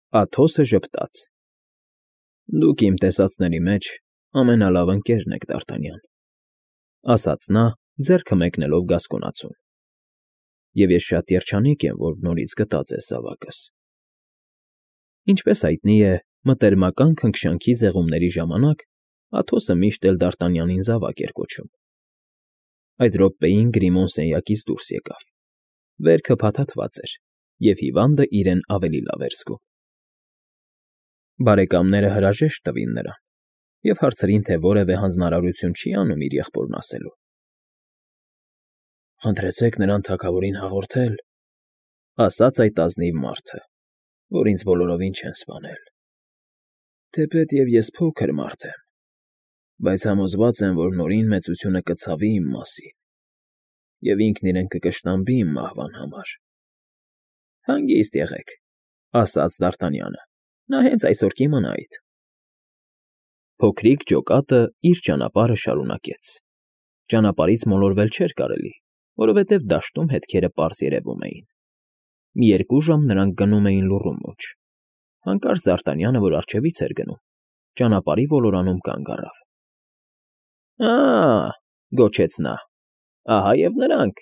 Աթոսը ժպտաց։ Դուք իմ տեսածների մեջ ամենալավ ընկերն եք, Դ'Արտանյան, ասաց նա, ձեռքը մեկնելով գասկոնացուն, և ես շատ երջանիկ եմ, որ նորից գտա ձեզ զավակս։ Ինչպես հայտնի է, մտերմական քնքշանքի զեղումների ժամանակ Աթոսը միշտ էլ Դ'Արտանյանին զավակ էր կոչում։ Այդ րոպեին Գրիմոն սենյակից դուրս եկավ։ Վերքը փաթաթված էր, և հիվանդը իրեն ավելի լավ էր զգում։ Բարեկամները հրաժեշտ տվին նրան և հարցրին, թե որևէ հանձնարարություն չի անում իր եղբորն ասելու։ Խնդրեցեք նրան թագավորին հաղորդել, ասաց այդ ազնիվ մարդը, որ ինձ բոլորովին չեն սպանել։ Թեպետև ես փոքր մարդ եմ, բայց համոզված եմ, որ Նորին մեծությունը կցավի իմ մասին, և ինքն իրեն կկշտամբի իմ մահվան համար։ Հանգիստ եղեք, ասաց Դ'Արտանյանը, նա հենց այսօր կիմանա այդ։ Փոքրիկ ջոկատը իր ճանապարհը շարունակեց։ Ճանապարհից մոլորվել չէր կարելի, որովհետև դաշտում հետքերը պարզ երևում էին։ Մի 2 ժամ նրանք գնում էին լուռու մեջ։ Հանկարծ Դ'Արտանյանը, որ առջևից էր գնում, ճանապարհի ոլորանում կանգ առավ։ Ա՜, գոչեց նա, ահա և նրանք։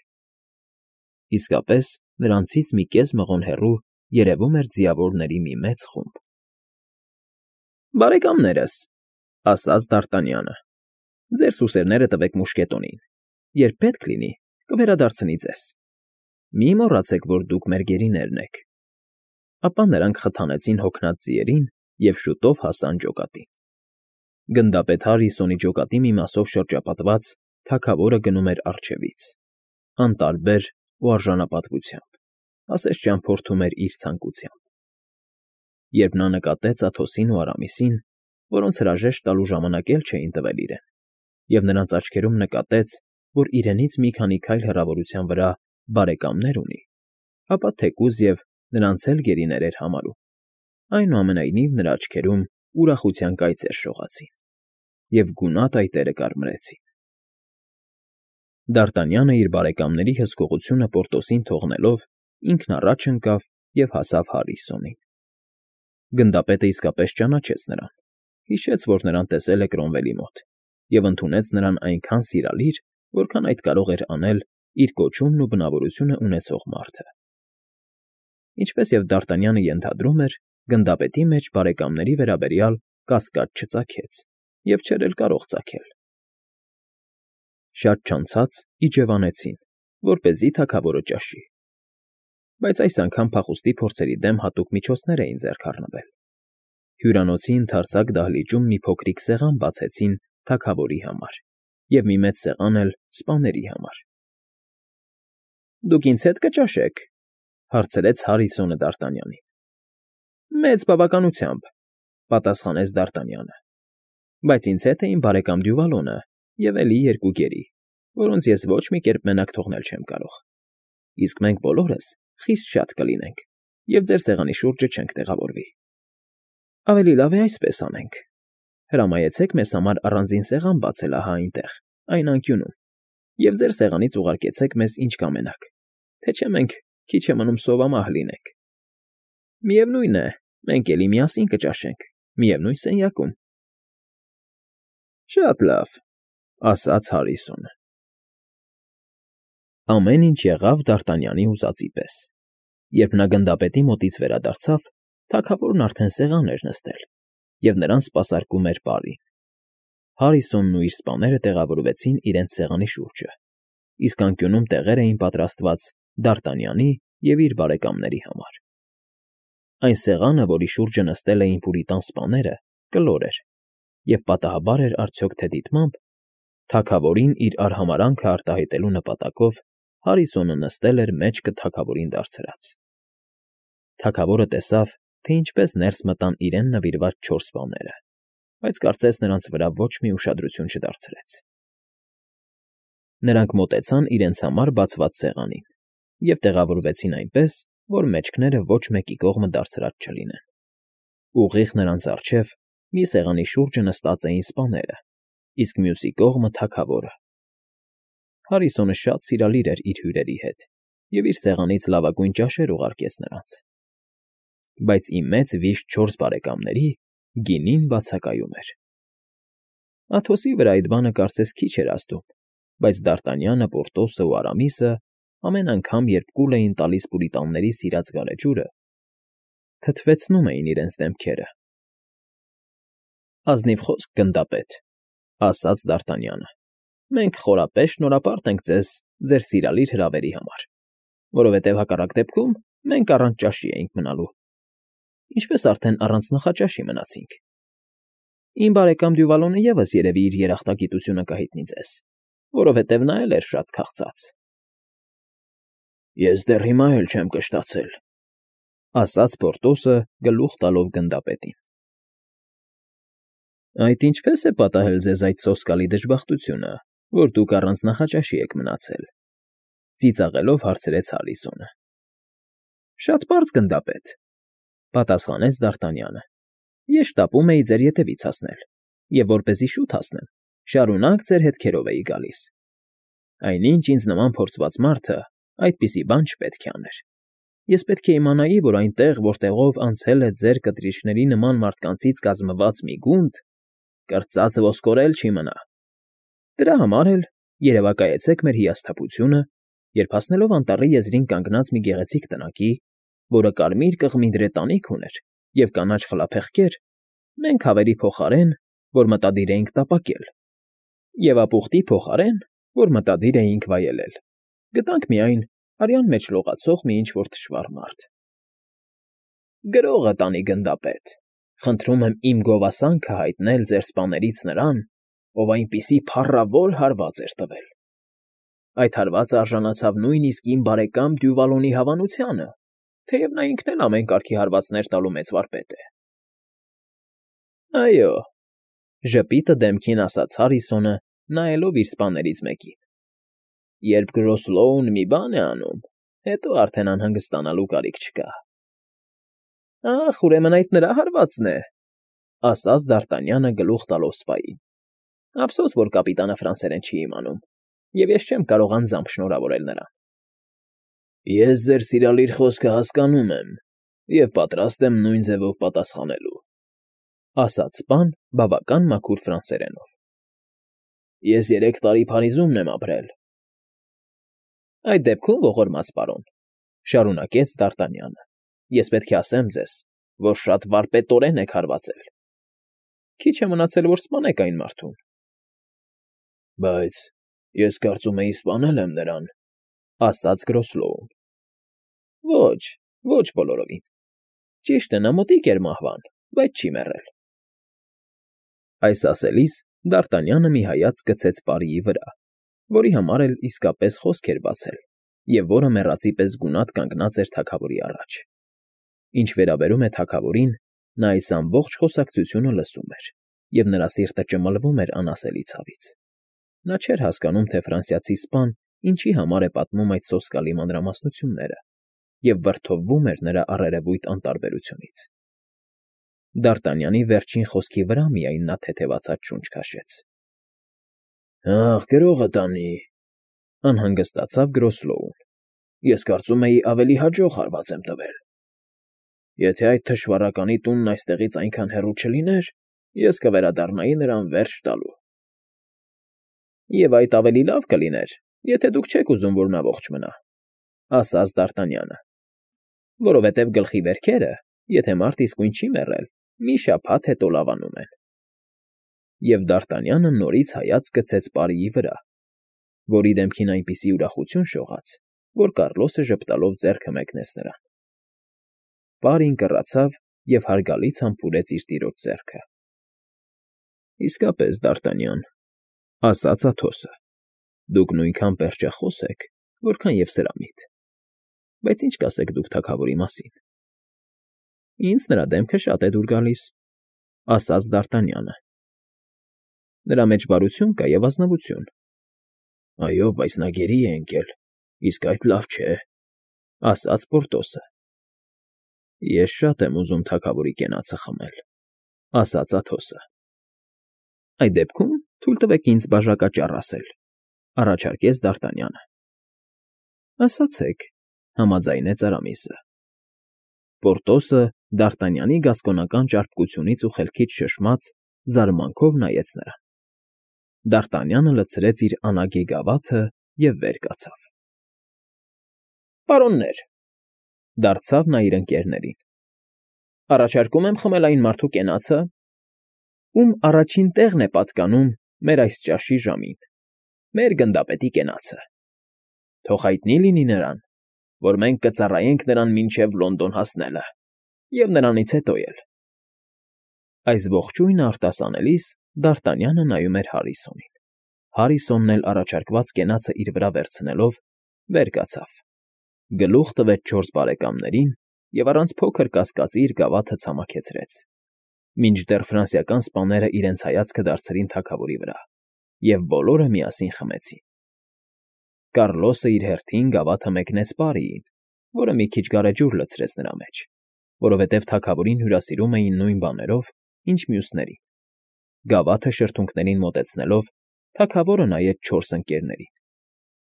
Իսկապես, նրանցից մի կես մղոն հեռու երևում էր ձիավորների մի մեծ խումբ։ Բարեկամներս, ասաց Դ'Արտանյանը, ձեր սուսերները տվեք մուշկետոնին, երբ պետք լինի, կվերադարձնի ձեզ։ Մի մոռացեք, որ դուք մեր գերիներն եք։ Ապա նրանք խթանեցին հոգնած ձիերին և շուտով հասան ջոկատին։ Գնդապետ Հարրիսոնի ջոկատի մի մասով շրջապատված թագավորը գնում էր առջևից, անտարբեր ու արժանապատվությամբ, ասես ճամփորդում էր իր ցանկությամբ։ Երբ նա նկատեց Աթոսին ու Արամիսին, որոնց հրաժեշտ տալու ժամանակ էլ չէին տվել իրեն, և նրանց աչքերում նկատեց, որ իրենից մի քանի քայլ հեռավորության վրա բարեկամներ ունի, ապա թեկուզ և նրանց էլ գերիներ էր համարում, այնուամենայնիվ նրա աչքերում ուրախության կայծեր շողացին, և գունատ այտերը կարմրեցին։ Դ'Արտանյանը իր բարեկամների հսկողությունը Պորտոսին թողնելով ինքն առաջ ընկավ և հասավ Հարրիսոնին։ Գնդապետը իսկապես ճանաչեց նրան, հիշեց, որ նրան տեսել է Կրոմվելի մոտ, և ընդունեց նրան այնքան սիրալիր, որքան այդ կարող էր անել իր կոչումն ու բնավորությունը ունեցող մարդը։ Ինչպես և Դ'Արտանյանը ենթադրում էր, գնդապետի մեջ բարեկամների վերաբերյալ կասկած չծագեց և չէր էլ կարող ծագել։ Շատ չանցած իջևանեցին, որպեսզի թագավորը ճաշի։ Բայց այս անգամ փախուստի փորձերի դեմ հատուկ միջոցներ էին ձեռք առնվել։ Հյուրանոցի ընդարձակ դահլիճում մի փոքրիկ սեղան բացեցին թագավորի համար և մի մեծ սեղան էլ սպաների համար։ Դուք ինձ հետ կճաշե՞ք, հարցրեց Հարրիսոնը Դ'Արտանյանին։ Մեծ բավականությամբ, պատասխանեց Դ'Արտանյանը, բայց ինձ հետ է իմ բարեկամ Դյուվալոնը և էլի 2 գերի, որոնց ես ոչ մի կերպ մենակ թողնել չեմ կարող։ Իսկ մենք բոլորս խիստ շատ կլինենք և ձեր սեղանի շուրջը չենք տեղավորվի։ Ավելի լավ է այսպես անենք. հրամայեցեք մեզ համար առանձին սեղան բացել ահա այնտեղ, այն անկյունում, և ձեր սեղանից ուղարկեցեք մեզ ինչ կամենաք, թե չէ մենք քիչ է մնում սովամահ լինենք։ Միևնույն է, մենք էլի միասին կճաշենք, միևնույն սենյակում։ Շատ լավ, ասաց Հարրիսոնը։ Ամեն ինչ եղավ Դ'Արտանյանի ուզածի պես։ Երբ նա գնդապետի մոտից վերադարձավ, թագավորն արդեն սեղան էր նստել, և նրան սպասարկում էր պարին։ Հարրիսոնն ու իր սպաները տեղավորվեցին իրենց սեղանի շուրջը, իսկ անկյունում տեղեր էին պատրաստված Դ'Արտանյանի և իր բարեկամների համար։ Այն սեղանը, որի շուրջը նստել էին պուրիտան սպաները, կլոր էր, և պատահաբար էր արդյոք թե դիտմամբ, թագավորին իր արհամարհանքը արտահայտելու նպատակով Հարրիսոնը նստել էր մեջքը թագավորին դարձրած։ Թագավորը տեսավ, թե ինչպես ներս մտան իրեն նվիրված 4 սպաները, բայց կարծես նրանց վրա ոչ մի ուշադրություն չդարձրեց։ Նրանք մոտեցան իրենց համար բացված սեղանին և տեղավորվեցին այնպես, որ մեջքները ոչ մեկի կողմը դարձրած չլինեն։ Ուղիղ նրանց առջև մի սեղանի շուրջը նստած էին սպաները, իսկ մյուսի կողմը թագավորը։ Հարրիսոնը շատ սիրալիր էր իր հյուրերի հետ և իր սեղանից լավագույն ճաշեր ուղարկեց նրանց։ բայց իմ մեծ վիշտ 4 բարեկամների գինին բացակայում էր։ Աթոսի վրա այդ բանը կարծես քիչ էր ազդում, բայց Դարտանյանը, Պորտոսը ու Արամիսը ամեն անգամ, երբ կուլ էին տալիս պուրիտանների սիրած գարեջուրը, թթվեցնում էին իրենց դեմքերը։ Ազնիվ խոսք, գնդապետ, ասաց Դարտանյանը։ Մենք խորապես շնորհապարտ ենք ձեզ ձեր սիրալիր հրավերի համար, որովհետև հակառակ դեպքում մենք առանց ճաշի էինք մնալու, ինչպես արդեն առանց նախաճաշի մնացինք։ Իմ բարեկամ Դյուվալոնը ևս երևի իր երախտագիտությունը կհայտնի ձեզ, որովհետև նա էլ էր շատ քաղցած։ Ես դեռ հիմա էլ չեմ կշտացել, ասաց Պորտոսը գլուխ տալով գնդապետին։ Այդ ինչպես է պատահել ձեզ այդ սոսկալի դժբախտությունը, որ դուք առանց նախաճաշի եք մնացել, ծիծաղելով հարցրեց Հարիսոնը։ Շատ պարզ, գնդապետ, պատասխանեց Դարտանյանը։ Ես շտապում էի ձեր ետևից հասնել, և որպեսզի շուտ հասնեմ, շարունակ ձեր հետքերով էի գալիս։ Այնինչ ինձ նման փորձված մարդը այդպիսի բան չպետք է աներ։ Ես պետք է իմանայի, որ այնտեղ, որտեղով անցել է ձեր կտրիչների նման մարդկանցից կազմված մի գունդ, կրծած ոսկորել չի մնա։ Դրա համար էլ երևակայեցեք մեր հիասթափությունը, երբ հասնելով անտառի եզրին կանգնած մի գեղեցիկ տնակի, որը կարմիր կղմի դրետանիք ուներ և կանաչ խլափեղկեր, մենք հավերի փոխարեն, որ մտադիր էինք տապակել, և ապուխտի փոխարեն, որ մտադիր էինք վայելել, գտանք միայն արյան մեջ լողացող մի ինչ֊որ թշվառ մարդ։ Գրողը տանի, գնդապետ, խնդրում եմ իմ գովասանքը հայտնել ձեր սպաներից նրան, ով այնպիսի փառավոր հարված էր տվել։ Այդ հարվածը արժանացավ նույնիսկ իմ բարեկամ Դյուվալոնի հավանությանը, թեև նա ինքն էլ ամեն կարգի հարվածներ տալու մեծ վարպետ է։ Այո, ժպիտը դեմքին ասաց Հարիսոնը, նայելով իր սպաներից մեկին։ Երբ Գրոսլոուն մի բան է անում, հետո արդեն անհանգստանալու կարիք չկա։ Ախ, ուրեմն այդ նրա հարվածն է, ասաց Դարտանյանը գլուխ տալով սպային։ Ափսոս, որ կապիտանը ֆրանսերեն չի իմանում, և ես չեմ կարող անձամբ շնորհավորել նրան։ Ես ձեր սիրալիր խոսքը հասկանում եմ և պատրաստ եմ նույն ձևով պատասխանելու, ասաց սպան բավական մաքուր ֆրանսերենով։ Ես 3 տարի Փարիզումն եմ ապրել։ Այդ դեպքում, ողորմած պարոն, շարունակեց Դարտանյանը, ես պետք է ասեմ ձեզ, որ շատ վարպետորեն եք հարվածել։ Քիչ է մնացել, որ սպանեք այն մարդուն։ Բայց ես կարծում էի սպանել եմ նրան, ասաց Գրոսլոուն։ Ոչ, ոչ բոլորովին։ Ճիշտ է, նա մոտիկ էր մահվան, բայց չի մեռել։ Այս ասելիս Դարտանյանը մի հայացք գցեց պարիի վրա, որի համար էլ իսկապես խոսք էր բացել, և որը մեռածի պես գունատ կանգնած էր թագավորի առաջ։ Ինչ վերաբերում է թագավորին, նա այս ամբողջ խոսակցությունը լսում էր, և նրա սիրտը ճմլվում էր անասելի ցավից։ Նա չէր հասկանում, թե ֆրանսիացի սպան ինչի համար է պատմում այդ սոսկալի մանրամասնությունները, և վրդովվում էր նրա առերևույթ անտարբերությունից։ Դարտանյանի վերջին խոսքի վրա միայն նա թեթևացած շունչ քաշեց։ Ախ, գրողը տանի, անհանգստացավ Գրոսլոուն։ Ես կարծում էի ավելի հաջող հարված եմ տվել։ Եթե այդ թշվառականի տունն այստեղից այնքան հեռու չլիներ, ես կվերադառնայի նրան վերջ տալու։ Եվ այդ ավելի լավ կլիներ, եթե դուք չեք ուզում, որ նա ողջ մնա, ասաց Դարտանյանը, որովհետև գլխի վերքերը, եթե մարդ իսկույն չի մեռել, մի շաբաթ հետո լավանում են։ Եվ Դարտանյանը նորից հայացք գցեց պարիի վրա, որի դեմքին այնպիսի ուրախություն շողաց, որ Կառլոսը ժպտալով ձեռքը մեկնեց նրան։ Պարին կռացավ և հարգալից համբուրեց իր տիրոջ ձեռքը։ Իսկապես, Դարտանյան, ասաց Աթոսը, դուք նույնքան պերճախոս եք, որքան և սրամիտ։ Բայց ինչ կասեք դուք թագավորի մասին։ Ինձ նրա դեմքը շատ է դուր գալիս, ասաց Դարտանյանը։ Նրա մեջ բարություն կա և ազնվություն։ Այո, բայց նա գերի է ընկել, իսկ այդ լավ չէ, ասաց Պորտոսը։ Ես շատ եմ ուզում թագավորի կենացը խմել, ասաց Աթոսը։ Այդ դեպքում թույլ տվեք ինձ բաժակաճառ ասել, առաջարկեց Դարտանյանը։ Ասացեք, համաձայնեց Արամիսը։ Պորտոսը Դ'Արտանյանի գասկոնական ճարպկությունից ու խելքից շշմած զարմանքով նայեց նրան։ Դ'Արտանյանը լցրեց իր անագի գավաթը և վեր կացավ։ ֊ Պարոններ,֊ դարձավ նա իր ընկերներին,֊ առաջարկում եմ խմել այն մարդու կենացը, ում առաջին տեղն է պատկանում մեր այս ճաշի ժամին, մեր գնդապետի կենացը. թող հայտնի լինի նրան, որ մենք կծառայենք նրան մինչև Լոնդոն հասնելը և նրանից հետո էլ… Այս ողջույնը արտասանելիս Դ'Արտանյանը նայում էր Հարիսոնին։ Հարիսոնն էլ առաջարկված կենացը իր վրա վերցնելով, վեր կացավ, գլուխ տվեց չորս բարեկամներին և առանց փոքր կասկածի իր գավաթը ցամաքեցրեց, մինչդեռ ֆրանսիական սպաները իրենց հայացքը դարձրին թագավորի վրա, և բոլորը միասին խմեցին։ Կառլոսը իր հերթին գավաթը մեկնեց Պարիին, որը մի քիչ գարեջուր լցրեց նրա մեջ, որովհետև թագավորին հյուրասիրում էին նույն բաներով, ինչ մյուսներին։ Գավաթը շրթունքներին մոտեցնելով, թագավորը նայեց չորս ընկերներին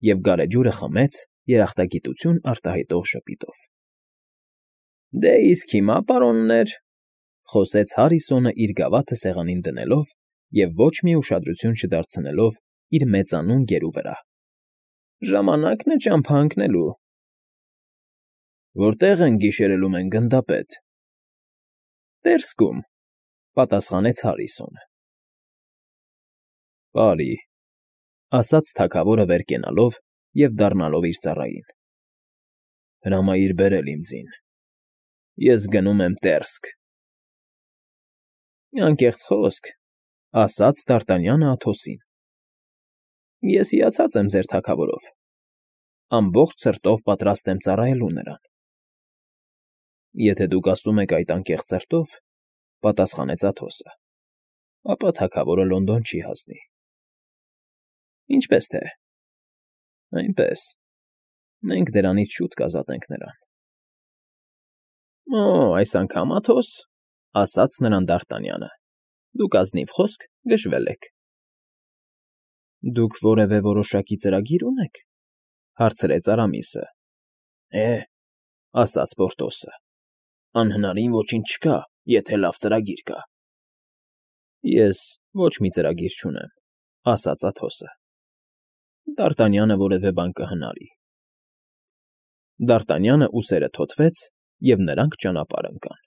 և գարեջուրը խմեց երախտագիտություն արտահայտող ժպիտով։ ֊ Դե իսկ հիմա, պարոններ,֊ խոսեց Հարիսոնը իր գավաթը սեղանին դնելով և ոչ մի ուշադրություն չդարձնելով իր մեծանուն գերու վրա,֊ ժամանակն է ճամփա ընկնելու։ ֊ Որտե՞ղ ենք գիշերելու մենք, գնդապետ։ ֊ Տերսկում,֊ պատասխանեց Հարիսոնը։ ֊ Բարի,֊ ասաց թագավորը վեր կենալով և դառնալով իր ծառային,֊ հրամայիր բերել ինձին, ես գնում եմ Տերսկ։ ֊ Անկեղծ խոսք,֊ ասաց Դ'Արտանյանը Աթոսին,֊ ես հիացած եմ ձեր թագավորով, ամբողջ սրտով պատրաստ եմ ծառայելու նրան։ ֊ Եթե դուք ասում եք այդ անկեղծ սրտով,֊ պատասխանեց Աթոսը,֊ ապա թագավորը Լոնդոն չի հասնի։ ֊ Ինչպե՞ս թե։ ֊ Այնպես, մենք դրանից շուտ կազատենք նրան։ ֊ Օ՜, այս անգամ, Աթոս,֊ ասաց նրան Դ'Արտանյանը,֊ դուք ազնիվ խոսք գժվել եք։ ֊ Դուք որևէ որոշակի ծրագիր ունե՞ք,֊ հարցրեց Արամիսը։ ֊ Է՛, ասաց Պորտոսը,֊ անհնարին ոչինչ չկա, եթե լավ ծրագիր կա։ ֊ Ես ոչ մի ծրագիր չունեմ,֊ ասաց Աթոսը։ Դ'Արտանյանը որևէ բան կհնարի։ Դ'Արտանյանը ուսերը թոթվեց, և նրանք ճանապարհ ընկան։